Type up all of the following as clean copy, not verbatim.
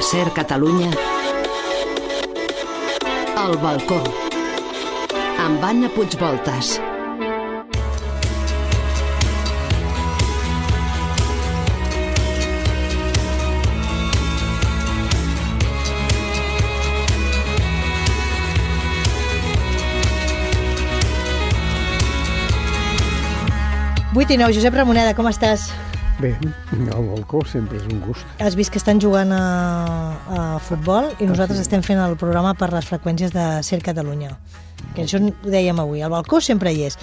A Ser Catalunya, El balcó, amb Anna Puigvoltas. Vuit i nou, Josep Ramoneda, com estàs? Bé, el balcó sempre és un gust. Has vist que estan jugant a futbol i nosaltres estem fent el programa per les freqüències de Ser Catalunya. Que això ho dèiem avui, el balcó sempre hi és.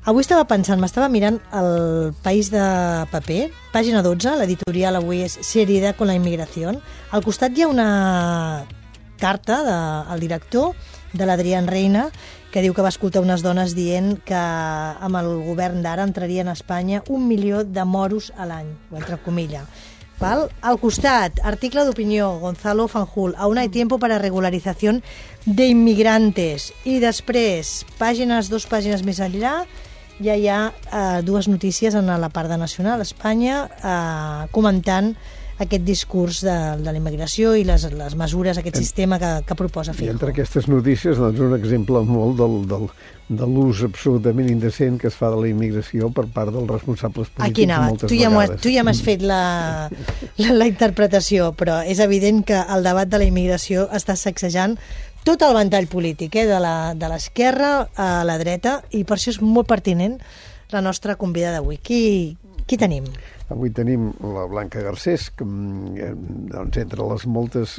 Avui estava pensant, m'estava mirant el País de Paper, pàgina 12, l'editorial avui és Seriedad con la inmigración. Al costat hi ha una carta del director, de l'Adrián Reina, que diu que va escoltar unes dones dient que amb el govern d'ara entrarien a Espanya 1 milió de moros a l'any, o entre comilla. Val? Al costat, article d'opinió, Gonzalo Fanjul, aún hay tiempo para regularización de inmigrantes. I després, dos pàgines més enllà, ja hi ha dues notícies en la part de Nacional, Espanya, comentant aquest discurs de la immigració i les mesures, aquest sistema que proposa Feijóo. I entre aquestes notícies, doncs, un exemple molt de l'ús absolutament indecent que es fa de la immigració per part dels responsables polítics. Aquí anava, moltes vegades. Tu ja m'has fet la interpretació, però és evident que el debat de la immigració està sacsejant tot el ventall polític, de l'esquerra a la dreta, i per això és molt pertinent la nostra convidada d'avui. Qui tenim? Avui tenim la Blanca Garcés, que doncs, entre les moltes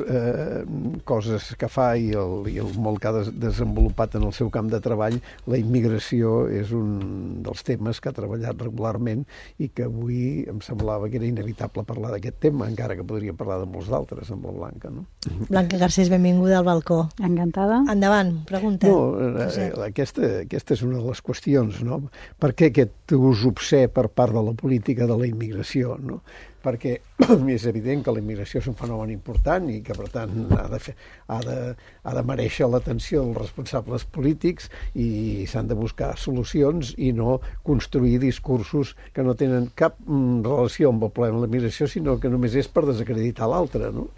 coses que fa i el molt que ha desenvolupat en el seu camp de treball, la immigració és un dels temes que ha treballat regularment i que avui em semblava que era inevitable parlar d'aquest tema, encara que podria parlar de molts d'altres amb la Blanca. No? Blanca Garcés, benvinguda al balcó. Encantada. Endavant, pregunta. No, aquesta és una de les qüestions, no? Per què aquest ús obscè per part de la política de la immigració? No? Perquè és evident que la immigració és un fenomen important i que, per tant, ha de mereixer l'atenció dels responsables polítics i s'han de buscar solucions i no construir discursos que no tenen cap relació amb el problema de la immigració, sinó que només és per desacreditar l'altre. No?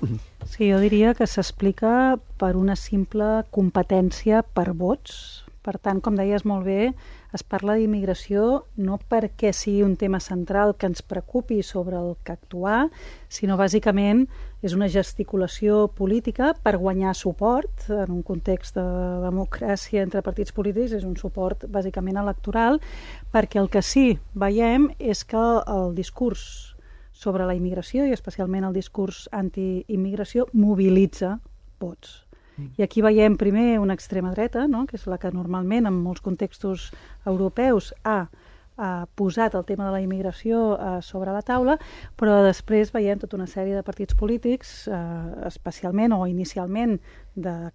Sí, jo diria que s'explica per una simple competència per vots. Per tant, com deies molt bé, es parla d'immigració no perquè sigui un tema central que ens preocupi sobre el que actuar, sinó bàsicament és una gesticulació política per guanyar suport en un context de democràcia entre partits polítics, és un suport bàsicament electoral, perquè el que sí veiem és que el discurs sobre la immigració i especialment el discurs antiimmigració mobilitza vots. I aquí veiem primer una extrema dreta, no? Que és la que normalment en molts contextos europeus ha posat el tema de la immigració sobre la taula, però després veiem tota una sèrie de partits polítics, especialment o inicialment de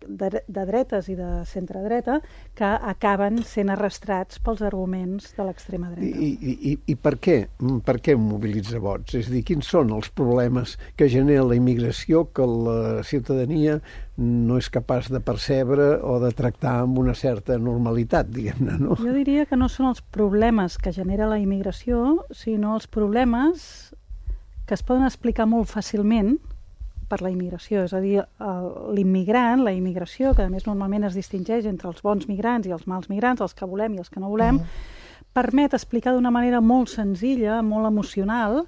dretes i de centredreta, que acaben sent arrastrats pels arguments de l'extrema dreta. I per què? Per què mobilitza vots? És a dir, quins són els problemes que genera la immigració que la ciutadania no és capaç de percebre o de tractar amb una certa normalitat, diguem-ne, no? Jo diria que no són els problemes que genera la immigració, sinó els problemes que es poden explicar molt fàcilment per la immigració. És a dir, l'immigrant, la immigració, que a més normalment es distingeix entre els bons migrants i els mals migrants, els que volem i els que no volem, permet explicar d'una manera molt senzilla, molt emocional,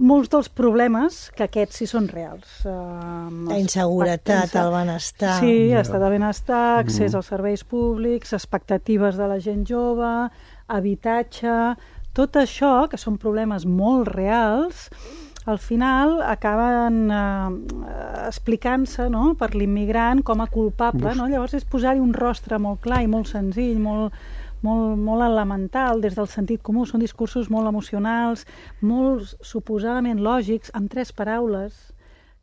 molts dels problemes que aquests sí són reals. La inseguretat, el benestar. Sí, estat de benestar, accés als serveis públics, expectatives de la gent jove, habitatge, tot això, que són problemes molt reals, al final acaben explicant-se, no?, per l'immigrant com a culpable. No? Llavors és posar-hi un rostre molt clar i molt senzill, molt elemental des del sentit comú. Són discursos molt emocionals, molt suposadament lògics, amb 3 paraules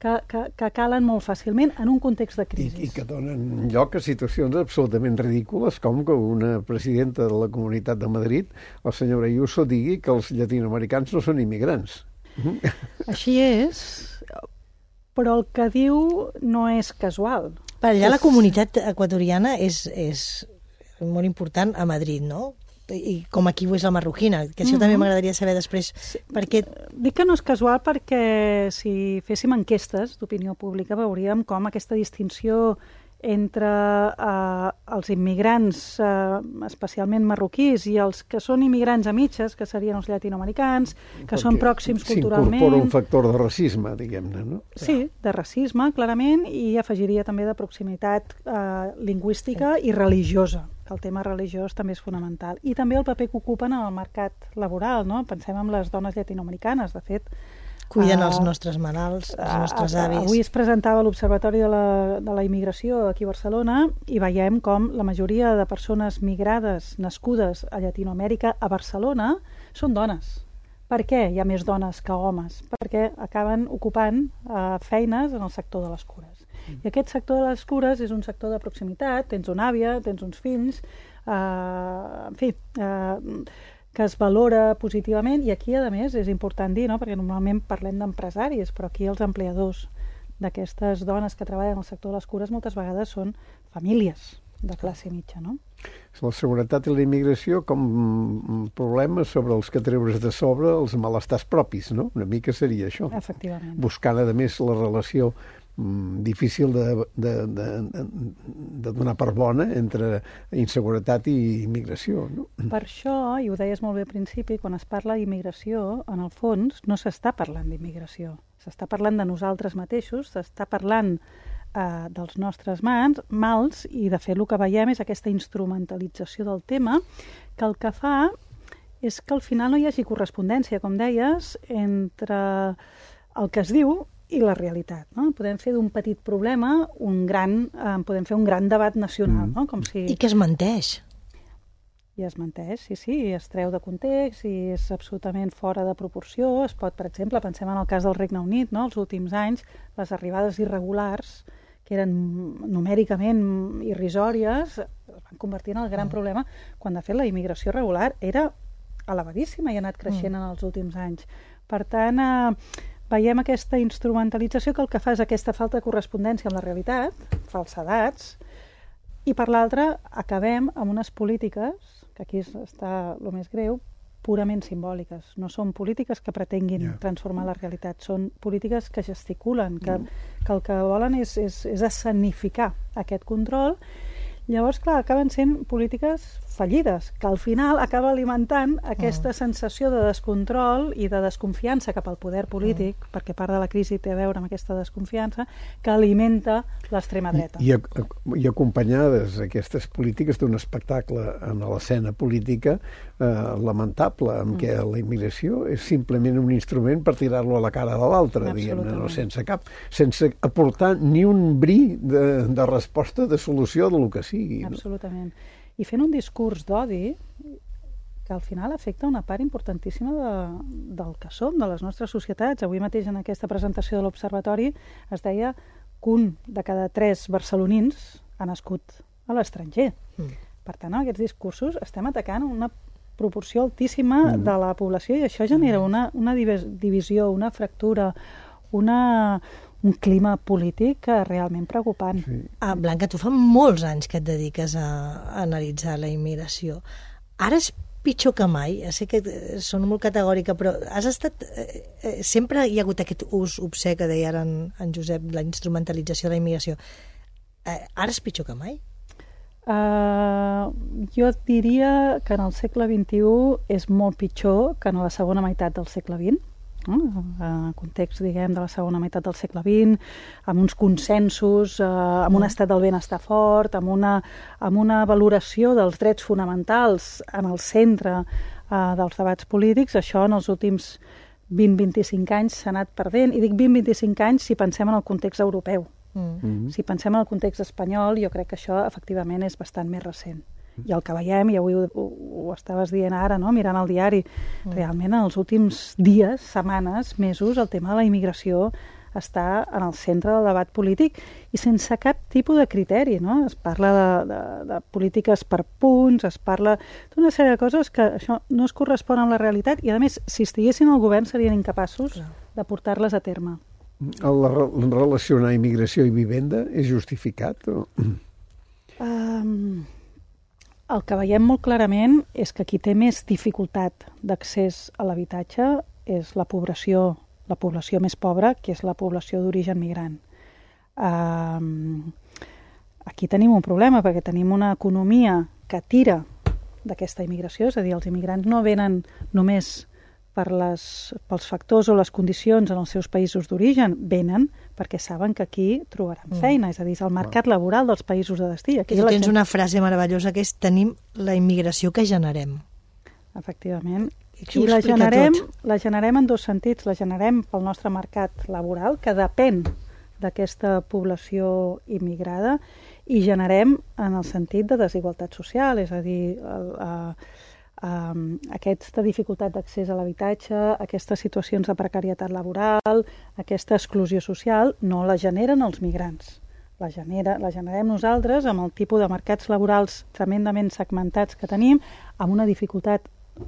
que calen molt fàcilment en un context de crisi. I que donen lloc a situacions absolutament ridícules, com que una presidenta de la Comunitat de Madrid, la senyora Ayuso, digui que els llatinoamericans no són immigrants. Així és, però el que diu no és casual. Per allà la comunitat equatoriana és molt important a Madrid, no? i com aquí ho és la marroquina, que això també m'agradaria saber després. Perquè... Dic que no és casual perquè si féssim enquestes d'opinió pública veuríem com aquesta distinció entre els immigrants, especialment marroquís, i els que són immigrants a mitges, que serien els llatinoamericans, que són pròxims culturalment... S'incorpora un factor de racisme, diguem-ne, no? Sí, de racisme, clarament, i afegiria també de proximitat lingüística i religiosa, que el tema religiós també és fonamental. I també el paper que ocupen en el mercat laboral, no? Pensem en les dones llatinoamericanes, de fet... Cuiden els nostres malalts, els nostres avis. Avui es presentava l'Observatori de la Immigració aquí a Barcelona i veiem com la majoria de persones migrades nascudes a Llatinoamèrica a Barcelona són dones. Per què hi ha més dones que homes? Perquè acaben ocupant feines en el sector de les cures. I aquest sector de les cures és un sector de proximitat, tens una àvia, tens uns fills, en fi... que es valora positivament, i aquí, a més, és important dir, no? Perquè normalment parlem d'empresaris, però aquí els empleadors d'aquestes dones que treballen al sector de les cures moltes vegades són famílies de classe mitja, no? La seguretat i la immigració com problemes sobre els que treure's de sobre els malestars propis, no? Una mica seria això. Efectivament. Buscant, a més, la relació difícil de donar per bona entre inseguretat i immigració, no? Per això, i ho deies molt bé al principi, quan es parla d'immigració, en el fons no s'està parlant d'immigració. S'està parlant de nosaltres mateixos, s'està parlant dels nostres mals, i de fet el que veiem és aquesta instrumentalització del tema, que el que fa és que al final no hi hagi correspondència, com deies, entre el que es diu i la realitat, no? Podem fer d'un petit problema podem fer un gran debat nacional, no? Com si... I que es menteix. I es menteix, sí, i es treu de context, i és absolutament fora de proporció. Es pot, per exemple, pensem en el cas del Regne Unit, no? Els últims anys, les arribades irregulars, que eren numèricament irrisòries, es van convertir en el gran problema, quan de fet la immigració regular era elevadíssima i ha anat creixent en els últims anys. Per tant, veiem aquesta instrumentalització que el que fa és aquesta falta de correspondència amb la realitat, falsedats, i per l'altra acabem amb unes polítiques, que aquí està el més greu, purament simbòliques. No són polítiques que pretenguin transformar la realitat, són polítiques que gesticulen, que el que volen és escenificar aquest control. Llavors, clar, acaben sent polítiques fallides, que al final acaba alimentant aquesta sensació de descontrol i de desconfiança cap al poder polític, perquè part de la crisi té a veure amb aquesta desconfiança, que alimenta l'extrema dreta. I acompanyades aquestes polítiques d'un espectacle en l'escena política lamentable, en què la immigració és simplement un instrument per tirar-lo a la cara de l'altre, diguem-ne, no? Sense aportar ni un bri de resposta, de solució de lo que sigui. Absolutament. I fent un discurs d'odi que al final afecta una part importantíssima del que som, de les nostres societats. Avui mateix en aquesta presentació de l'Observatori es deia que 1 de cada 3 barcelonins ha nascut a l'estranger. Per tant, en aquests discursos estem atacant una proporció altíssima de la població, i això genera una divisió, una fractura, un clima polític realment preocupant. Sí. Blanca, tu fa molts anys que et dediques a analitzar la immigració. Ara és pitjor que mai. Ja sé que són molt categòrica, però has estat... sempre hi ha hagut aquest ús obscè que deia ara en Josep, la instrumentalització de la immigració. Ara és pitjor que mai? Jo diria que en el segle XXI és molt pitjor que en la segona meitat del segle XX. En context, diguem, de la segona meitat del segle XX, amb uns consensos, amb un estat del benestar fort, amb una valoració dels drets fonamentals en el centre dels debats polítics. Això en els últims 20-25 anys s'ha anat perdent, i dic 20-25 anys si pensem en el context europeu. Si pensem en el context espanyol, jo crec que això efectivament és bastant més recent. I el que veiem, i avui ho estaves dient ara, no? Mirant el diari, realment en els últims dies, setmanes, mesos, el tema de la immigració està en el centre del debat polític i sense cap tipus de criteri, no? Es parla de polítiques per punts, es parla d'una sèrie de coses que això no es correspon amb la realitat, i a més, si estiguessin al govern serien incapaços de portar-les a terme. Relacionar immigració i vivenda és justificat? El que veiem molt clarament és que qui té més dificultat d'accés a l'habitatge és la població més pobra, que és la població d'origen migrant. Aquí tenim un problema, perquè tenim una economia que tira d'aquesta immigració, és a dir, els immigrants no venen només pels factors o les condicions en els seus països d'origen, venen perquè saben que aquí trobaran feina, és a dir, és el mercat laboral dels països de destí. Aquí tens una frase meravellosa que és tenim la immigració que generem. Efectivament. I la generem en dos sentits. La generem pel nostre mercat laboral, que depèn d'aquesta població immigrada, i generem en el sentit de desigualtat social, és a dir, aquesta dificultat d'accés a l'habitatge, aquestes situacions de precarietat laboral, aquesta exclusió social, no la generen els migrants. La generem nosaltres amb el tipus de mercats laborals tremendament segmentats que tenim, amb una dificultat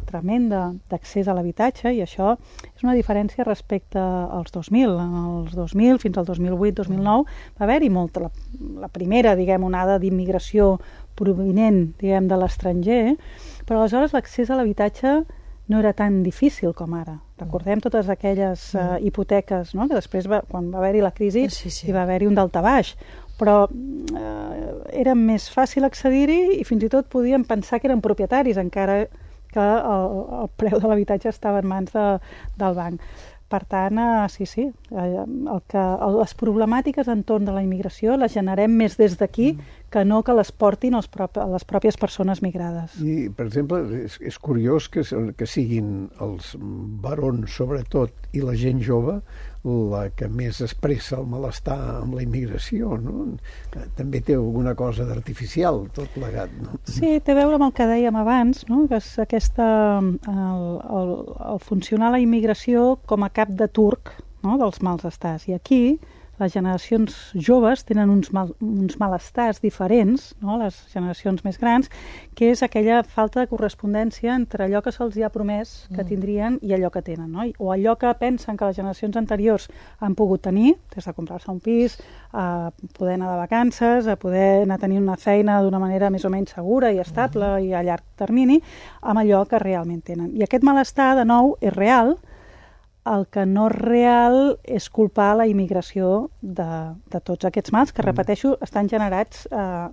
tremenda d'accés a l'habitatge, i això és una diferència respecte als 2000. En els 2000 fins al 2008-2009 va haver-hi molta, la primera, onada d'immigració provinent, de l'estranger, però aleshores l'accés a l'habitatge no era tan difícil com ara. Recordem totes aquelles hipoteques, no? Que després, quan va haver-hi la crisi, hi va haver-hi un daltabaix, però era més fàcil accedir-hi i fins i tot podíem pensar que eren propietaris, encara que el preu de l'habitatge estava en mans del banc. Per tant, les problemàtiques entorn de la immigració les generem més des d'aquí que no que les portin les pròpies persones migrades. I, per exemple, és curiós que siguin els barons, sobretot, i la gent jove, la que més expressa el malestar amb la immigració, no? També té alguna cosa d'artificial, tot plegat, no? Sí, té a veure amb el que dèiem abans, no? Que és el funcionar la immigració com a cap de turc, no? Dels mals estats. I aquí les generacions joves tenen uns malestars diferents, no? Les generacions més grans, que és aquella falta de correspondència entre allò que se'ls ha promès que tindrien i allò que tenen, no? O allò que pensen que les generacions anteriors han pogut tenir, des de comprar-se un pis, a poder anar de vacances, a poder anar a tenir una feina d'una manera més o menys segura i estable i a llarg termini, amb allò que realment tenen. I aquest malestar, de nou, és real. El que no és real és culpar la immigració de tots aquests mals que, repeteixo, estan generats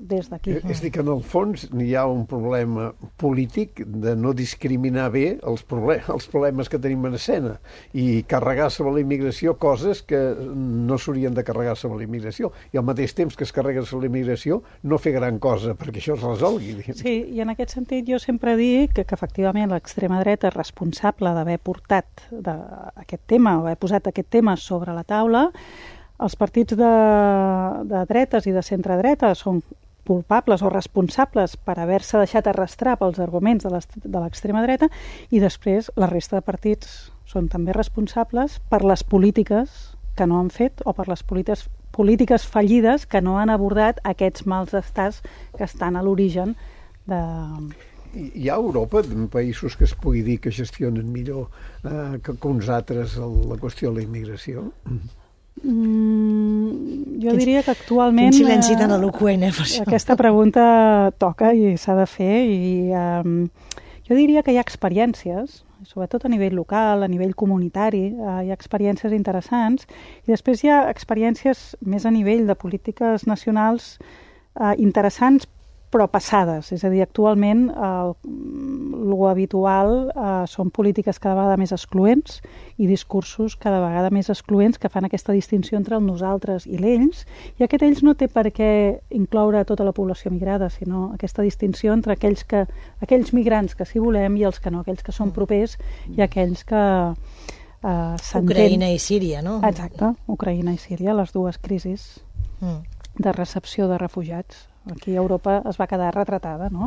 des d'aquí. És dir, que en el fons hi ha un problema polític de no discriminar bé els problemes que tenim en escena i carregar sobre la immigració coses que no s'haurien de carregar sobre la immigració, i al mateix temps que es carrega sobre la immigració no fer gran cosa perquè això es resolgui. Sí, i en aquest sentit jo sempre dic que efectivament l'extrema dreta és responsable d'haver portat aquest tema, o haver posat aquest tema sobre la taula. Els partits de dretes i de centre-dreta són culpables o responsables per haver-se deixat arrastrar pels arguments de l'extrema dreta, i després la resta de partits són també responsables per les polítiques que no han fet o per les polítiques fallides que no han abordat aquests mals estats que estan a l'origen de... Hi ha a Europa països que es pugui dir que gestionen millor que uns altres la qüestió de la immigració? Jo diria que actualment... Quin silenci tan eloqüent, per això. Aquesta pregunta toca i s'ha de fer, i jo diria que hi ha experiències, sobretot a nivell local, a nivell comunitari, hi ha experiències interessants, i després hi ha experiències més a nivell de polítiques nacionals interessants, però passades. És a dir, actualment lo habitual són polítiques cada vegada més excloents i discursos cada vegada més excloents que fan aquesta distinció entre el nosaltres i l'ells, i aquest ells no té per què incloure tota la població migrada, sinó aquesta distinció entre aquells migrants que sí volem i els que no, aquells que són propers i aquells que s'entén... Ucraïna i Síria, no? Exacte, Ucraïna i Síria, les dues crisis de recepció de refugiats. Aquí a Europa es va quedar retratada, no?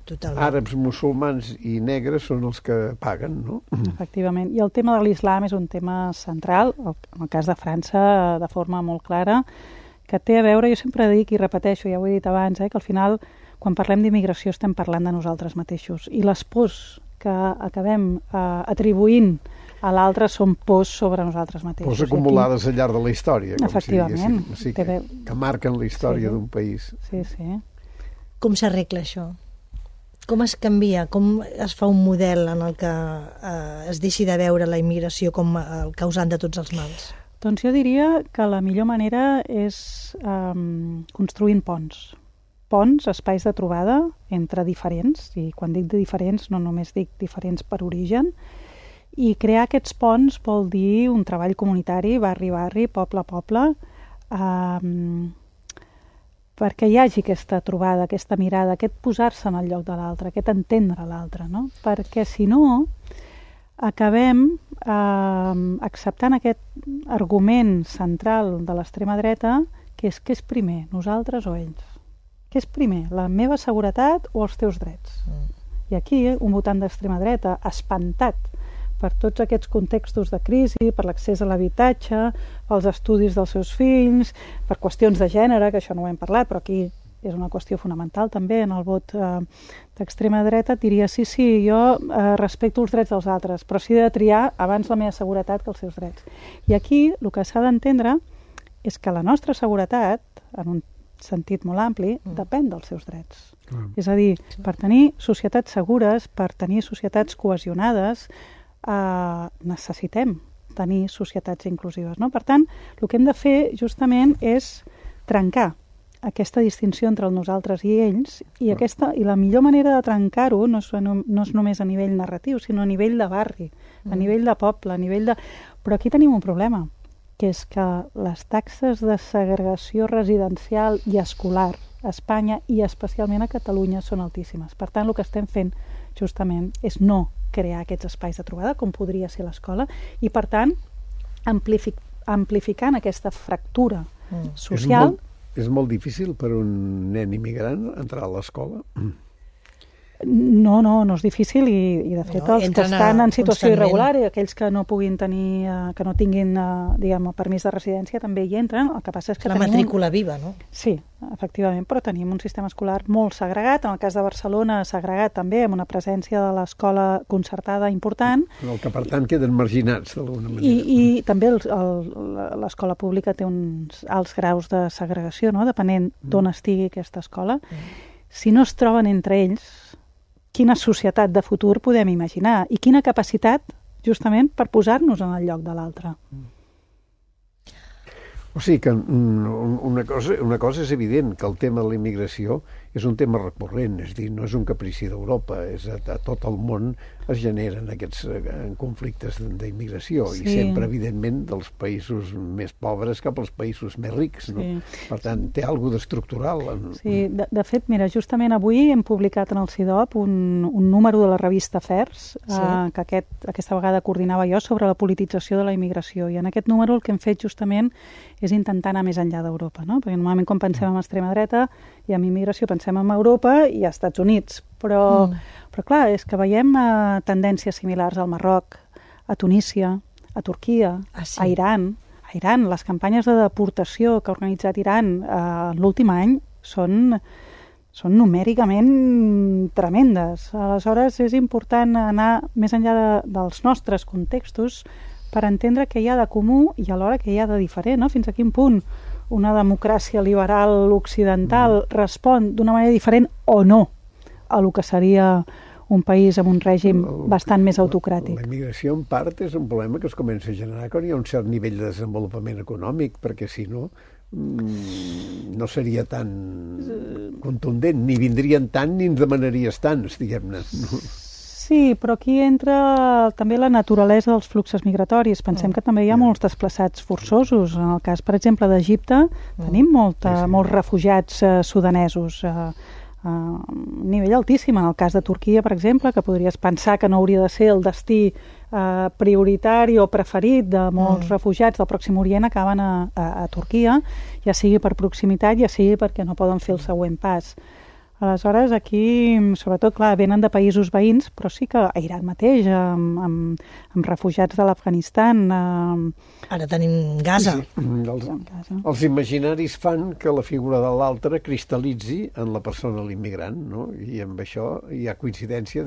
Totalment. Àrabs, musulmans i negres són els que paguen, no? Efectivament. I el tema de l'islam és un tema central, en el cas de França, de forma molt clara, que té a veure, jo sempre dic i repeteixo, ja ho he dit abans, que al final, quan parlem d'immigració, estem parlant de nosaltres mateixos. I les pors que acabem atribuint a l'altre són pors sobre nosaltres mateixos. Pors acumulades al llarg de la història. Efectivament. Que marquen la història d'un país. Sí, sí. Com s'arregla això? Com es canvia? Com es fa un model en el que es deixi de veure la immigració com el causant de tots els mals? Doncs jo diria que la millor manera és construint ponts. Ponts, espais de trobada entre diferents, i quan dic de diferents no només dic diferents per origen, i crear aquests ponts vol dir un treball comunitari, barri a barri, poble a poble, perquè hi hagi aquesta trobada, aquesta mirada, aquest posar-se en el lloc de l'altre, aquest entendre l'altre, no? Perquè si no, acabem acceptant aquest argument central de l'extrema dreta, que és primer, nosaltres o ells? Què és primer, la meva seguretat o els teus drets? I aquí un votant d'extrema dreta, espantat per tots aquests contextos de crisi, per l'accés a l'habitatge, pels estudis dels seus fills, per qüestions de gènere, que això no ho hem parlat, però aquí és una qüestió fonamental també en el vot d'extrema dreta, diria sí, jo respecto els drets dels altres, però sí he de triar abans la meva seguretat que els seus drets. I aquí el que s'ha d'entendre és que la nostra seguretat, en un sentit molt ampli, depèn dels seus drets. És a dir, per tenir societats segures, per tenir societats cohesionades, necessitem tenir societats inclusives, no? Per tant, el que hem de fer justament és trencar aquesta distinció entre el nosaltres i ells, i la millor manera de trencar-ho no és només a nivell narratiu, sinó a nivell de barri, a nivell de poble, a nivell de... Però aquí tenim un problema, que és que les taxes de segregació residencial i escolar a Espanya i especialment a Catalunya són altíssimes. Per tant, el que estem fent justament és no crear aquests espais de trobada, com podria ser l'escola, i per tant, amplificant aquesta fractura social... És molt difícil per un nen immigrant entrar a l'escola? No és difícil i de fet els que estan en situació irregular i aquells que no puguin tenir, que no tinguin, diguem, el permís de residència també hi entren. El que passa és que la matrícula viva, no? Sí, efectivament, però tenim un sistema escolar molt segregat. En el cas de Barcelona, segregat també, amb una presència de l'escola concertada important. El que, per tant, queden marginats d'alguna manera. I també l'escola pública té uns alts graus de segregació, no? Depenent d'on estigui aquesta escola. Si no es troben entre ells, quina societat de futur podem imaginar i quina capacitat, justament, per posar-nos en el lloc de l'altre. O sigui que una cosa és evident, que el tema de la immigració és un tema recurrent, és a dir, no és un caprici d'Europa, a tot el món es generen aquests conflictes d'immigració, i sempre, evidentment, dels països més pobres cap als països més rics, no? Per tant, té alguna cosa d'estructural. Sí, de fet, mira, justament avui hem publicat en el CIDOB un número de la revista Fers, que aquesta vegada coordinava jo, sobre la politització de la immigració, i en aquest número el que hem fet justament és intentar anar més enllà d'Europa, no? Perquè normalment quan pensem en extrema dreta i en immigració pensem en Europa i als Estats Units, però clar, és que veiem tendències similars al Marroc, a Tunísia, a Turquia, a Iran. A Iran, les campanyes de deportació que ha organitzat Iran l'últim any són numèricament tremendes. Aleshores, és important anar més enllà dels nostres contextos per entendre què hi ha de comú i alhora què hi ha de diferent, no? Fins a quin punt una democràcia liberal occidental respon d'una manera diferent o no a lo que seria un país amb un règim bastant més autocràtic. La immigració, en part, és un problema que es comença a generar quan hi ha un cert nivell de desenvolupament econòmic, perquè si no, no seria tan contundent, ni vindrien tant ni ens demanaries tants, diguem-ne. Sí, però aquí entra també la naturalesa dels fluxos migratoris. Pensem que també hi ha molts desplaçats forçosos. En el cas, per exemple, d'Egipte, tenim molts refugiats sudanesos a nivell altíssim. En el cas de Turquia, per exemple, que podries pensar que no hauria de ser el destí prioritari o preferit de molts refugiats del Pròxim Orient, acaben a Turquia, ja sigui per proximitat, ja sigui perquè no poden fer el següent pas. Aleshores, aquí, sobretot, clar, venen de països veïns, però sí que a Iran mateix, amb refugiats de l'Afganistan... Ara tenim Gaza. Els imaginaris fan que la figura de l'altre cristal·litzi en la persona l'immigrant, no? I amb això hi ha coincidència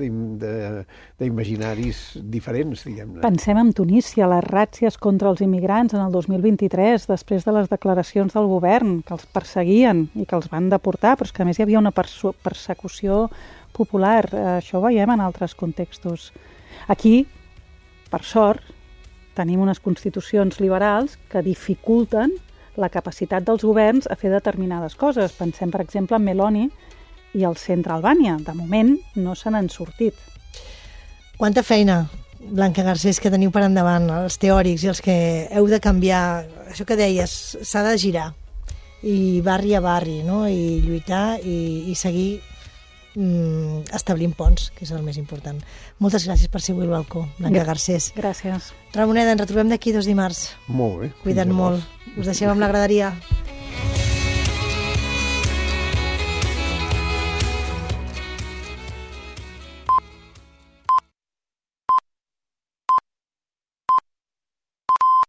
d'imaginaris diferents, diguem-ne. Pensem en Tunísia, les ràtzies contra els immigrants en el 2023, després de les declaracions del govern, que els perseguien i que els van deportar, però és que a més hi havia una persona persecució popular. Això ho veiem en altres contextos. Aquí, per sort, tenim unes constitucions liberals que dificulten la capacitat dels governs a fer determinades coses. Pensem, per exemple, en Meloni i el centre Albània. De moment no se n'han sortit. Quanta feina, Blanca Garcés, que teniu per endavant, els teòrics i els que heu de canviar. Això que deies, s'ha de girar, i barri a barri, no? I lluitar i seguir establint ponts, que és el més important. Moltes gràcies per ser avui al balcó, Blanca Garcés. Gràcies. Ramoneda, ens retrobem d'aquí 2 dimarts. Molt bé. Cuida't molt. Us deixem amb la graderia.